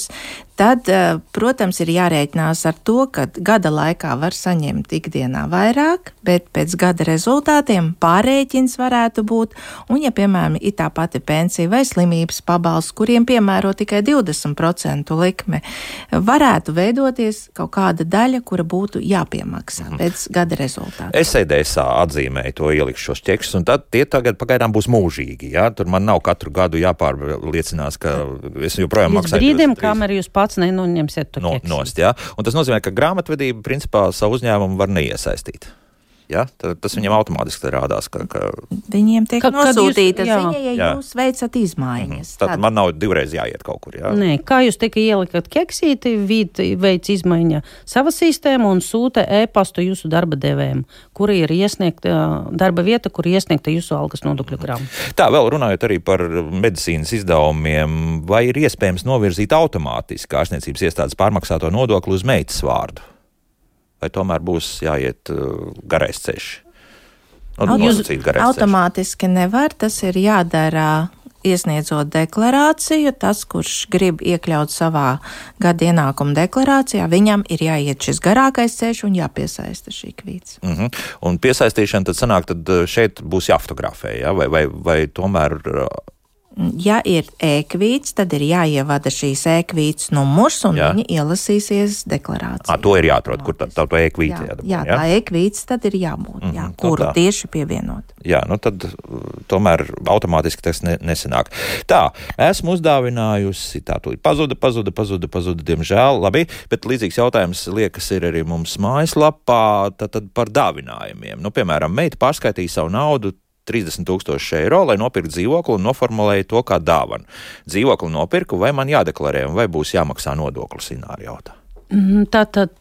tad, protams, ir jārēķinās ar to, ka gada laikā var saņemt ikdienā vairāk, bet pēc gada rezultātiem pārrēķins varētu būt, un ja, piemēram, ir tā pati pensija vai slimības pabalsts, kuriem piemēro tikai 20% likme, varētu veidoties kaut kāda daļa, kura būtu jāpiemaksā pēc gada rezultātiem. Es EDSā atzīmēju to, ielikšu šos ķekšus, un tad tie tagad pagaidām būs mūžīgi, ja? Tur man nav katru gadu jāpārliecinās, ka es joprojām maksāju. Līdz brīdim, kamēr jūs pats nenoņemsiet to ķeksu. Nost, ja? Un tas nozīmē, ka grāmatvedība principā savu uzņēmumu var neiesaistīt. Ja? Tas viņam automātiski rādās, ka... Viņiem tiek nosūtīta ziņa, ja jūs veicat izmaiņas. Tad man nav divreiz jāiet kaut kur, jā? Nē, kā jūs tikai ielikat keksīti, veic izmaiņa sava sistēma un sūta e-pastu jūsu darba devējiem, kura ir iesniegta darba vieta, kur iesniegta jūsu algas nodokļu grāmata. Tā, vēl runājot arī par medicīnas izdevumiem, vai ir iespējams novirzīt automātiski ārstniecības iestādes pārmaksāto nodokli uz meitas vārdu? Vai tomēr būs jāiet garais ceļš? Automātiski nevar, tas ir jādara iesniedzot deklarāciju. Tas, kurš grib iekļaut savā gada ienākuma deklarācijā, viņam ir jāiet šis garākais ceļš un jāpiesaista šī kvīts. Un piesaistīšana tad sanāk, tad šeit būs jāfotografē, ja? vai tomēr... Ja ir e-kvīts, tad ir jāievada šīs e-kvīts numurs un viņi ielasīsies deklarācijā. To ir jāatrod, kur tā e-kvīts jādabū. Jā, tā e-kvīts tad ir jābūt, kuru tieši pievienot. Jā, tad tomēr automātiski tas nesanāk. Tā, esmu uzdāvinājusi, tā tūlīt pazuda, diemžēl, labi, bet līdzīgs jautājums liekas ir arī mums mājaslapā, tad par dāvinājumiem. Piemēram, meita pārskaitīja savu naudu 30,000 eiro, lai nopirktu dzīvokli un noformulēja to kā dāvanu. Dzīvokli nopirku, vai man jādeklarē, vai būs jāmaksā nodoklis, Ināra jautā. Tātad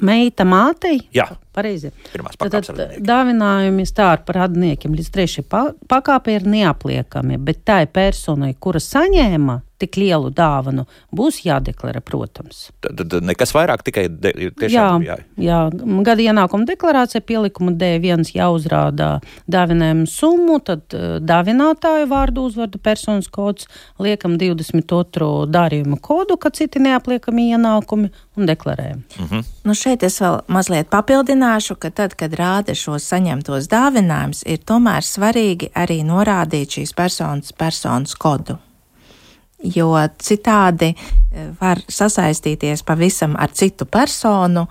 meita mātei? Jā. Pareizi. Pirmās pakāpes radinieki. Dāvinājumi stāra par radniekiem līdz 3. pakāpē ir neapliekami, bet tai personai, kura saņēma tik lielu dāvanu, būs jādeklarē, protams. Tad nekas vairāk, tikai tiešām jā. Gada ienākuma deklarācija pielikuma D1 jāuzrādā dāvinājumu summu, tad dāvinātāju vārdu, uzvārdu, personas kods, liekam 22. darījuma kodu, ka citi neapliekami ienākumi un deklarējam. Šeit es vēl mazliet papildināšu, ka tad, kad rāda šos saņemtos dāvinājumus, ir tomēr svarīgi arī norādīt šīs personas kodu. jo citādi var sasaistīties pavisam ar citu personu,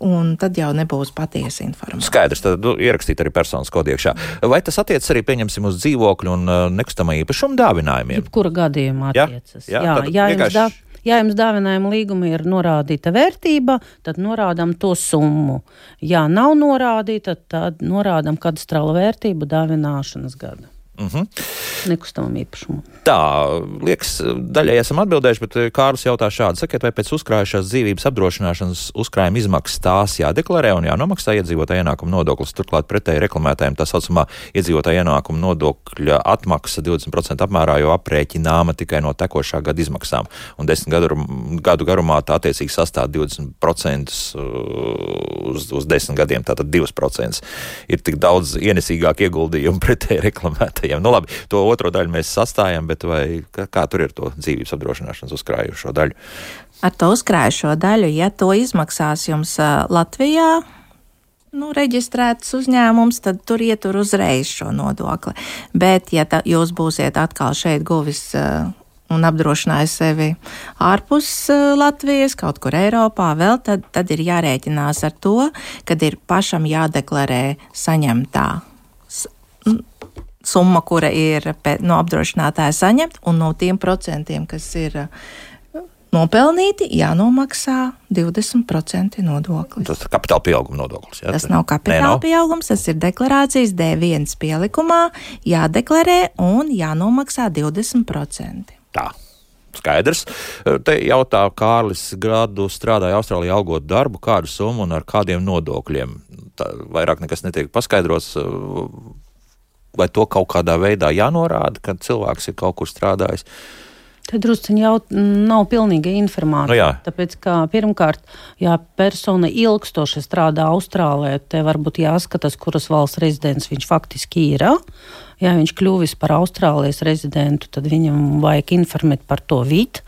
un tad jau nebūs patiesa informācija. Skaidrs, tad ierakstīt arī personas kodu iekšā. Vai tas attiec arī, pieņemsim, uz dzīvokļu un nekustamā īpašuma dāvinājumiem? Jebkura gadījumā attiecas. Jā, Ja jums dāvinājuma līguma ir norādīta vērtība, tad norādām to summu. Ja nav norādīta, tad norādām kadastrāla vērtību dāvināšanas gada. Nekustamam īpašumam. Tā, liekas, daļai esam atbildējuši, bet Kārlis jautā šādi. Sakiet, vai pēc uzkrājušās dzīvības apdrošināšanas uzkrājuma izmaksas tās jādeklarē un jānomaksā iedzīvotāja ienākuma nodoklis? Turklāt pretēji reklamētājiem tā saucamā iedzīvotāja ienākuma nodokļa atmaksa 20% apmērā jau aprēķināma tikai no tekošā gada izmaksām. Un 10 gadu garumā tā attiecīgi sastāv 20% uz 10 gadiem, tātad 2%. Ir tik daudz ienesīgāk ieguldījumu pretēji reklamētājiem. Nu labi, to otro daļu mēs sastājam, bet vai kā tur ir to dzīvības apdrošināšanas uzkrājušo daļu? Ar to uzkrājušo daļu, ja to izmaksās jums Latvijā, reģistrēts uzņēmums, tad tur ietur uzreiz šo nodokli. Bet, ja jūs būsiet atkal šeit guvis un apdrošinājis sevi ārpus Latvijas, kaut kur Eiropā vēl, tad ir jārēķinās ar to, kad ir pašam jādeklarē saņemtā summa, kura ir no apdrošinātāja saņemt, un no tiem procentiem, kas ir nopelnīti, jānomaksā 20% nodoklis. Tas ir kapitāla pieauguma nodoklis. Jā? Tas nav kapitāla pieaugums, tas ir deklarācijas D1 pielikumā, jādeklarē un jānomaksā 20%. Tā. Skaidrs. Te jautā Kārlis, gadu strādāja Austrālijā algot darbu, kādu summu un ar kādiem nodokļiem. Tā vairāk nekas netiek paskaidrots. Vai to kaut kādā veidā jānorāda, kad cilvēks ir kaut kur strādājis? Te drusciņi jau nav pilnīga informācija. Tāpēc, ka pirmkārt, ja persona ilgstoši strādā Austrālijā, te varbūt jāskatās, kuras valsts rezidents viņš faktiski ir. Ja viņš kļuvis par Austrālijas rezidentu, tad viņam vajag informēt par to vidu,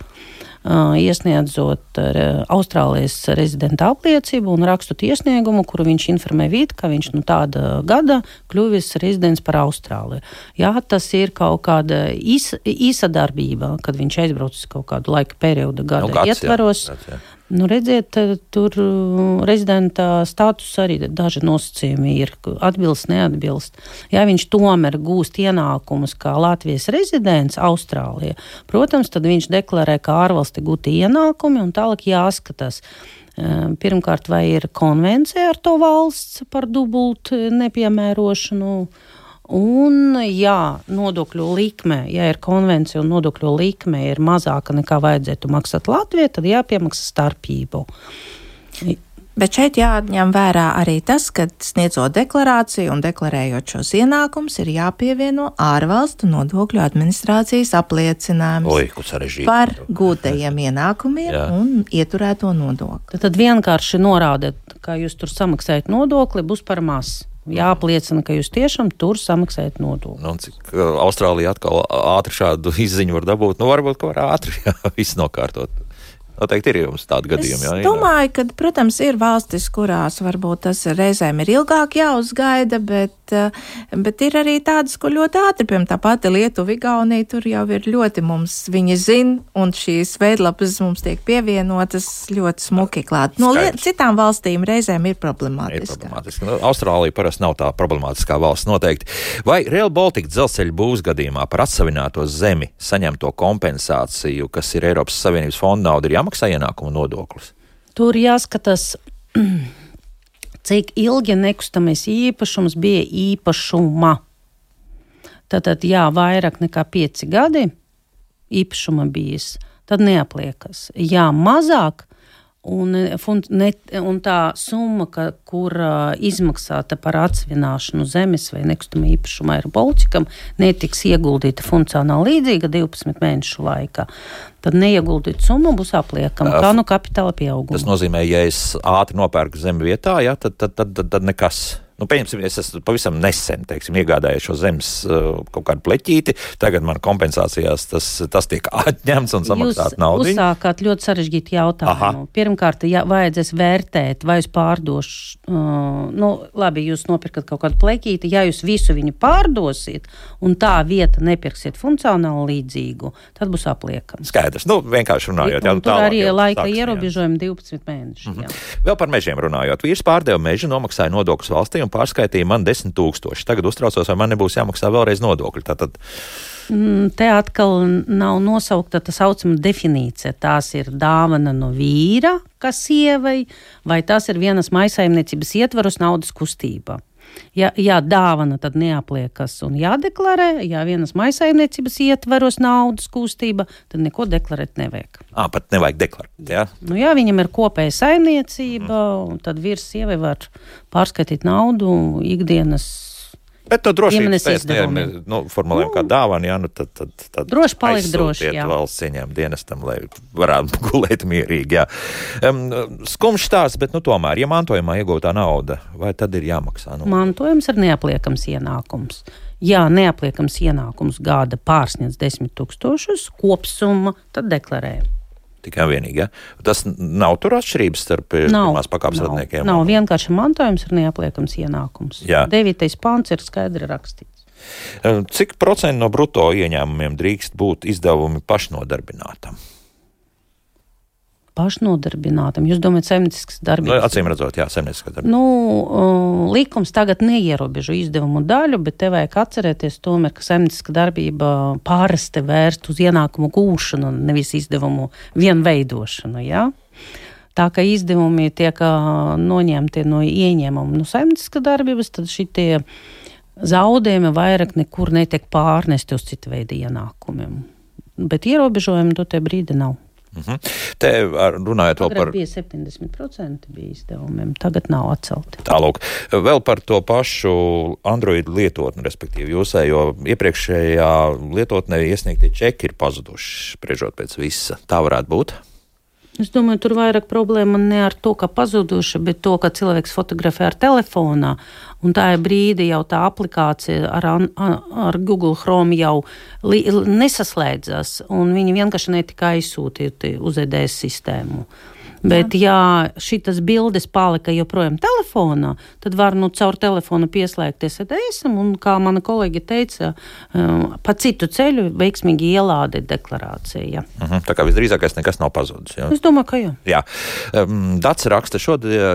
iesniedzot Austrālijas rezidenta apliecību un rakstot iesniegumu, kuru viņš informē vidu, ka viņš tāda gada kļuvis rezidents par Austrāliju. Jā, tas ir kaut kāda īsa darbība, kad viņš aizbraucis kaut kādu laika periodu gada ietvaros. Jā. Redziet, tur rezidenta status arī daži nosacījumi ir, atbilst, neatbilst. Ja viņš tomēr gūst ienākumus kā Latvijas rezidents Austrālijā, protams, tad viņš deklarē, kā ārvalsti gūti ienākumi, un tālāk jāskatās. Pirmkārt, vai ir konvencija ar to valsts par dubultu nepiemērošanu, un nodokļu likme, ja ir konvencija un nodokļu likme ir mazāka nekā vajadzētu maksāt Latvijā, tad jāpiemaksā starpību. Bet šeit jāņem vērā arī tas, ka sniedzot deklarāciju un deklarējot šos ienākumus, ir jāpievieno ārvalstu nodokļu administrācijas apliecinājums par gūtajiem ienākumiem un ieturēto nodokli. Tad vienkārši norādēt, ka jūs tur samaksājat nodokli, būs par maz. Jāapliecina, ka jūs tiešām tur samaksājat nodokli. Cik Austrālija atkal ātri šādu izziņu var dabūt? Varbūt, ka var ātri viss nokārtot. Noteikti ir jums tādi gadījumi. Es domāju, ka, protams, ir valstis, kurās varbūt tas reizēm ir ilgāk jāuzgaida, bet ir arī tādas, kur ļoti ātri, piemēram, tā pati Lietuva, Igaunija, tur jau ir ļoti mums, viņi zina, un šīs veidlapas mums tiek pievienotas ļoti smuki klāt. No citām valstīm reizēm ir problemātiski. Austrālija parasti nav tā problemātiskā valsts noteikti. Vai Rail Baltica dzelzceļa būvs gadījumā par atsavināto zemi saņemto kompensāciju, kas ir Eiropas Savienības fonda nauda, ir jāmaksā ienākuma nodoklis? Tur jāskatās, cik ilgi nekustamais īpašums bija īpašuma. Tātad, vairāk nekā 5 gadi īpašuma bijis, tad neapliekas. Mazāk, un tā summa, kur izmaksāta par atsvināšanu zemes vai nekustamā īpašuma ir Baltikam, netiks ieguldīta funkcionāli līdzīga 12 mēnešu laikā. Tad neieguldīta summa būs apliekama, kā kapitāla pieauguma. Tas nozīmē, ja es ātri nopērku zemi vietā, tad nekas. Pieņemsim, es esmu pavisam nesen, iegādājies šo zemes kaut kādu pleķīti, tagad man kompensācijās tas tiek atņemts un samaksāt naudu. Jūs uzsākāt ļoti sarežģītu jautājumu. Pirmkārt, vajadzēs vērtēt, vai jūs pārdošu, labi, jūs nopirkat kaut kādu pleķīti, ja jūs visu viņu pārdosiet un tā vieta nepirksiet funkcionāli līdzīgu, tad būs apliekams. Skaidrs, vienkārši runājot. Tur arī laika ierobežojumi 12 mēneši. Vēl par mežiem runājot. Vīrs pārdeva mežu, nomaksāja nodokļus valstī un pārskaitīja man 10 000. Tagad uztraucos, vai man nebūs jāmaksā vēlreiz nodokļi. Tātad... Te atkal nav nosaukta tā saucama definīcija. Tās ir dāvana no vīra, kas sievai, vai tās ir vienas maisaimniecības ietvaros naudas kustība. Ja dāvana, tad neapliekas un jādeklarē. Ja vienas maisaimniecības ietvaros naudas kustība, tad neko deklarēt nevajag. Pat nevajag deklarēt, jā? Ja viņam ir kopēja saimniecība, tad vīrs sievai var pārskaitīt naudu ikdienas. Bet to droši formulējam kā dāvanu, tad droši palikt droši, jā. Valsts ieņēmuma dienestam, lai varētu gulēt mierīgi, jā. Skumjš stāsts, bet tomēr, ja mantojumā iegūtā nauda, vai tad ir jāmaksā? Mantojums ir neapliekams ienākums. Ja neapliekams ienākums gada pārsniedz 10 000 kopsumma, tad deklarē. Tikai vienīgi, ja? Tas nav tur atšķirības starp pirmās pakāpes radniekiem? Nav, vienkārši mantojums ir neapliekams ienākums. Jā. 9. pants ir skaidri rakstīts. Cik procenti no bruto ieņēmumiem drīkst būt izdevumi pašnodarbinātam? Pašnodarbinātam. Jūs domājat saimnieciskas darbības? Acīm redzot, jā, saimnieciskā darbība. Likums tagad neierobežo izdevumu daļu, bet te vajag atcerēties tomēr, ka saimnieciska darbība pārasti vērst uz ienākumu gūšanu, nevis izdevumu vienveidošanu, jā? Tā kā izdevumi tiek noņemti no ieņēmuma no saimnieciska darbības, tad šitie zaudējumi vairāk nekur netiek pārnesti uz citu veidu ienākumiem. Bet ierobežojumi to te brīdi nav. Te runājot vēl par... bija 70% bija izdevumiem, tagad nav atcelti. Tālūk, vēl par to pašu Android lietotni, respektīvi jūsējo iepriekšējā lietotnē iesniegtie čeki ir pazuduši, spriežot pēc visa. Tā varētu būt? Es domāju, tur vairāk problēma ne ar to, ka pazuduši, bet to, ka cilvēks fotografē ar telefonā, un tā brīdi jau tā aplikācija ar Google Chrome jau nesaslēdzas, un viņi vienkārši netika aizsūtīti uz EDS sistēmu. Bet, ja šitas bildes palika joprojām telefonā, tad var caur telefonu pieslēgties EDS-am, un, kā mana kolēģi teica, pa citu ceļu veiksmīgi ielādēt deklarāciju. Ja. Tā kā visdrīzākais nekas nav pazudis. Ja? Es domāju, ka jā. Jā. Dats raksta,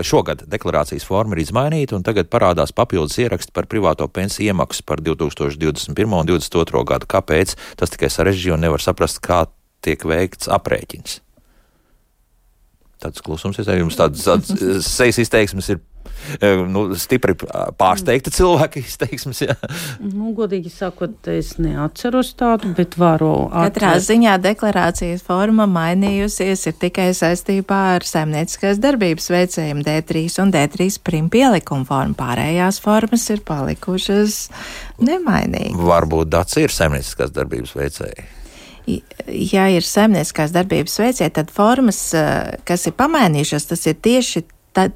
šogad deklarācijas forma ir izmainīta, un tagad parādās papildus ieraksti par privāto pensiju iemaksu par 2021. un 2022. gadu. Kāpēc? Tas tikai sarežģīja un nevar saprast, kā tiek veikts aprēķins. Tāds klusums, jums tāds sejas izteiksmes ir stipri pārsteigti cilvēki izteiksmes, jā. Godīgi sakot, es neatceros tādu, bet varu Katrā ziņā deklarācijas forma mainījusies ir tikai saistībā ar saimnieciskās darbības veicējiem D3 un D3 prim pielikumu formu. Pārējās formas ir palikušas nemainīgi. Varbūt Dats ir saimnieciskās darbības veicēji. Ja ir saimnieciskās darbības veicēji, tad formas, kas ir pamainījušas, tas ir tieši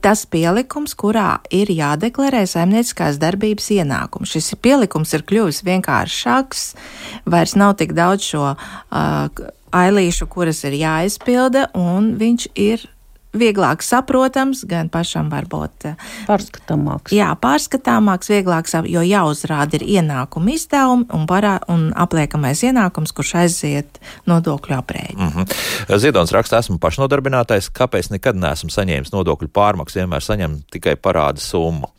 tas pielikums, kurā ir jādeklarē saimnieciskās darbības ienākums. Šis pielikums ir kļuvis vienkāršāks, vairs nav tik daudz šo ailīšu, kuras ir jāizpilda, un viņš ir vieglāk saprotams, gan pašam varbūt pārskatāmāks. Jā, pārskatāmāks, vieglāks, jo jāuzrāda ir ienākuma izdevumi un apliekamais ienākums, kurš aiziet nodokļu aprēķinu. Ziedons raksta, esmu pašnodarbinātais, kāpēc nekad neesmu saņēmis nodokļu pārmaksu, vienmēr saņem tikai parāda summu.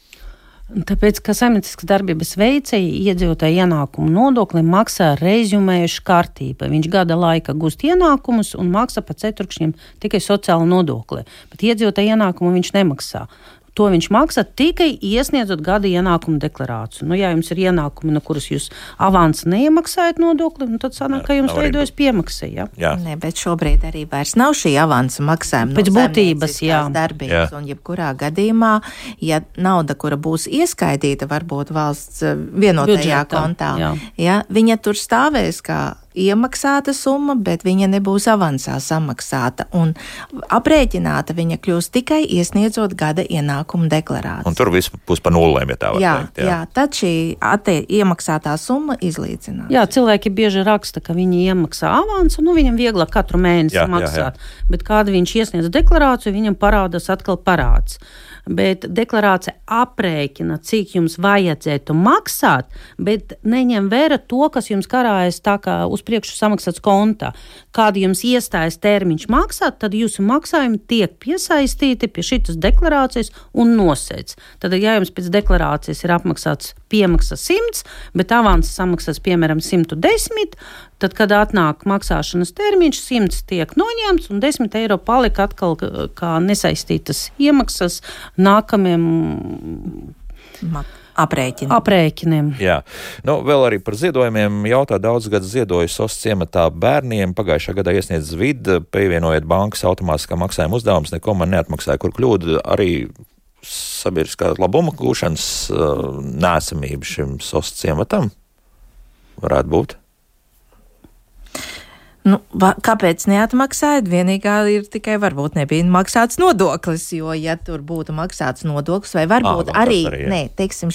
Tāpēc, ka saimnieciskas darbības veicēji iedzīvotāju ienākumu nodokli maksā rezumējuši kārtība. Viņš gada laika gūst ienākumus un maksā pa ceturkšņiem tikai sociālu nodokli. Bet iedzīvotāju ienākumu viņš nemaksā. To viņš maksā tikai iesniedzot gada ienākumu deklarāciju. Ja jums ir ienākumi, no kuras jūs avansu neiemaksājat nodokli, tad sanāk, ka jums veidojas piemaksa. Ja? Nē, bet šobrīd arī vairs nav šī avansa maksājuma pēc būtības, darbības. Un jebkurā gadījumā, ja nauda, kura būs ieskaitīta varbūt valsts vienotajā kontā, viņa tur stāvēs kā iemaksāta summa, bet viņa nebūs avansā samaksāta, un aprēķināta viņa kļūs tikai iesniedzot gada ienākumu deklarāciju. Un tur viss būs pa nulēm, ja tā var teikt. Jā, tad šī iemaksātā summa izlīdzinās. Jā, cilvēki bieži raksta, ka viņi iemaksā avansu, viņam vieglāk katru mēnesi maksāt, bet kāda viņš iesniedz deklarāciju, viņam parādās atkal parāds. Bet deklarācija aprēķina, cik jums vajadzētu maksāt, bet neņem vērā to, kas jums karājas tā kā uz priekšu samaksāts kontā. Kad jums iestājas termiņš maksāt, tad jūsu maksājumi tiek piesaistīti pie šitas deklarācijas un nosēdz. Tad, ja jums pēc deklarācijas ir apmaksāts piemaksa 100, bet avanses samaksās piemēram 110, tad, kad atnāk maksāšanas termiņš, 100 tiek noņemts un 10 eiro palika atkal kā nesaistītas iemaksas nākamiem aprēķiniem. Jā. Vēl arī par ziedojumiem jautā daudz gadu ziedoju SOS ciematā bērniem. Pagājušā gadā iesniedz vidu, pievienojot bankas automātiskā maksājuma uzdevumus, neko man neatmaksāja, kur kļūda arī sabiedriskā labuma gūšanas neesamība šim SOS ciematam varētu būt. Kāpēc neatmaksājat? Vienīgā ir tikai varbūt nebija maksāts nodoklis, jo, ja tur būtu maksāts nodoklis, vai varbūt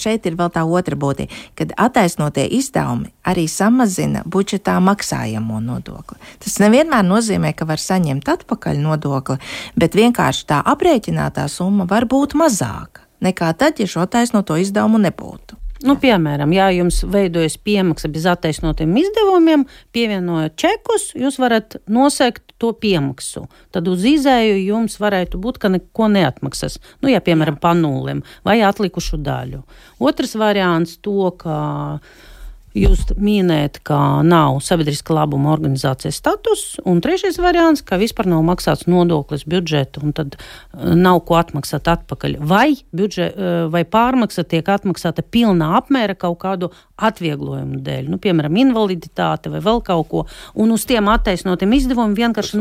šeit ir vēl tā otra būtība, kad attaisnotie izdevumi arī samazina budžetā maksājamo nodokli. Tas nevienmēr nozīmē, ka var saņemt atpakaļ nodokli, bet vienkārši tā aprēķinātā summa var būt mazāka nekā tad, ja šo attaisnoto izdevumu nebūtu. Piemēram, ja jums veidojas piemaksa bez attaisnotiem izdevumiem, pievienojot čekus, jūs varat nosegt to piemaksu. Tad uz izēju jums varētu būt, ka neko neatmaksas. Piemēram, pa nulēm vai atlikušu daļu. Otrs variants to, ka jūs minējat, ka nav sabiedriska labuma organizācijas status, un trešais variants, ka vispār nav maksāts nodoklis budžetu, un tad nav ko atmaksāt atpakaļ. Vai pārmaksa tiek atmaksāta pilnā apmēra kaut kādu atvieglojumu dēļ, piemēram, invaliditāte vai vēl kaut ko, un uz tiem attaisnotiem izdevumiem vienkārši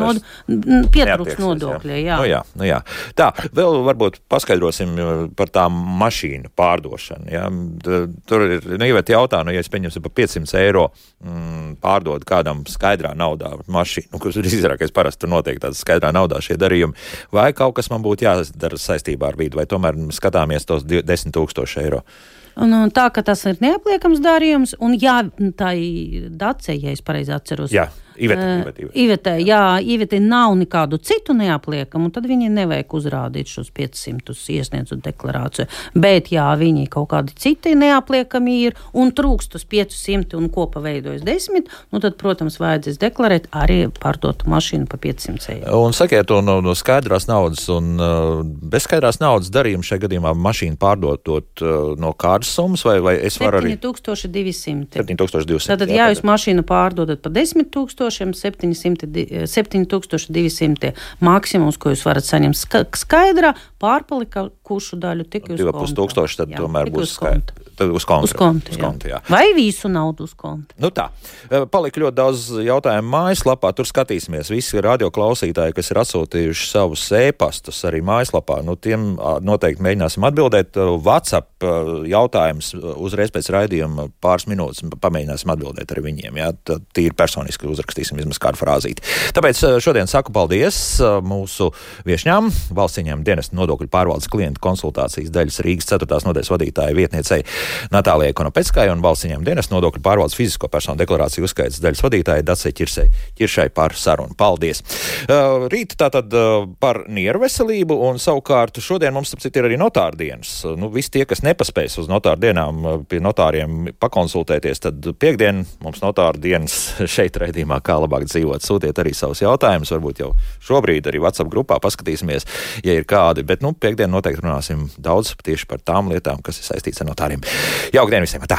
pietrūkst nodokļi. Jā. Tā, vēl varbūt paskaidrosim par tām mašīnu pārdošanu. Ja? Tur ir, Iveta jautā, ja es pieņemsim par 500 eiro pārdod kādam skaidrā naudā mašīnu, kas ir izrākais parasti tur notiek tāds skaidrā naudā šie darījumi, vai kaut kas man būtu jādara saistībā ar vidu, vai tomēr skatāmies tos 10 000 eiro? Tā, ka tas ir neapliekams darījums, un tā ir Dace, ja es pareizi atceros. Jā, Ivete nav nekādu citu neapliekamu, tad viņi nevajag uzrādīt šos 500 iesniedzot deklarāciju. Bet, ja viņi kaut kādi citi neapliekami ir un trūkst uz 500 un kopā veidojas 10, tad, protams, vajadzēs deklarēt arī pārdotu mašīnu pa 500 eiro. Un sakiet to no skaidrās naudas un bezskaidrās naudas darījumu šajā gadījumā mašīnu pārdotot no kādas summas, vai es varu arī... 7200. 7200. Tātad, ja jūs mašīnu pārdodat pa 10 000, 7200 maksimums, ko jūs varat saņemt skaidrā, pārpalikušu daļu tik uz konta. 2500 tad tomēr būs skaidra. Tad uz konta. Vai visu naudu uz konta? Tā. Palika ļoti daudz jautājumu mājaslapā. Tur skatīsimies visi radioklausītāji, kas ir atsūtījuši savus e-pastus arī mājaslapā. Tiem noteikti mēģināsim atbildēt. WhatsApp jautājums uzreiz pēc raidījuma pāris minūtes pamēģināsim atbildēt arī viņiem. Jā. Tīri personiski uzrakstīsim vismaz kādu frāzīti. Tāpēc šodien saku paldies mūsu viešņām, valsts ieņēmuma dienesta nodokļu pārvaldes klientu konsultācijas daļas Rīgas 4. nodaļas vadītāja vietniecei Natālijai Konopeckai un valsts ieņēmuma dienesta nodokļu pārvaldes fizisko personu deklarāciju uzskaites daļas vadītāja Dacei Ķiršai par sarunu. Paldies! Rīt tātad par nieru veselību un savukārt šodien mums ir arī notāru dienas. Visi tie, kas nepaspēs uz notāru dienām pie notāriem pakonsultēties, tad piekdien mums notāru dienas šeit raidījumā Kā labāk dzīvot. Sūtiet arī savus jautājumus, varbūt jau šobrīd arī WhatsApp grupā paskatīsimies, ja ir kādi, bet piekdien noteikti runāsim daudz tieši par tām lietām, kas ir saistīts ar notāriem. Jauka diena visiem! Tā!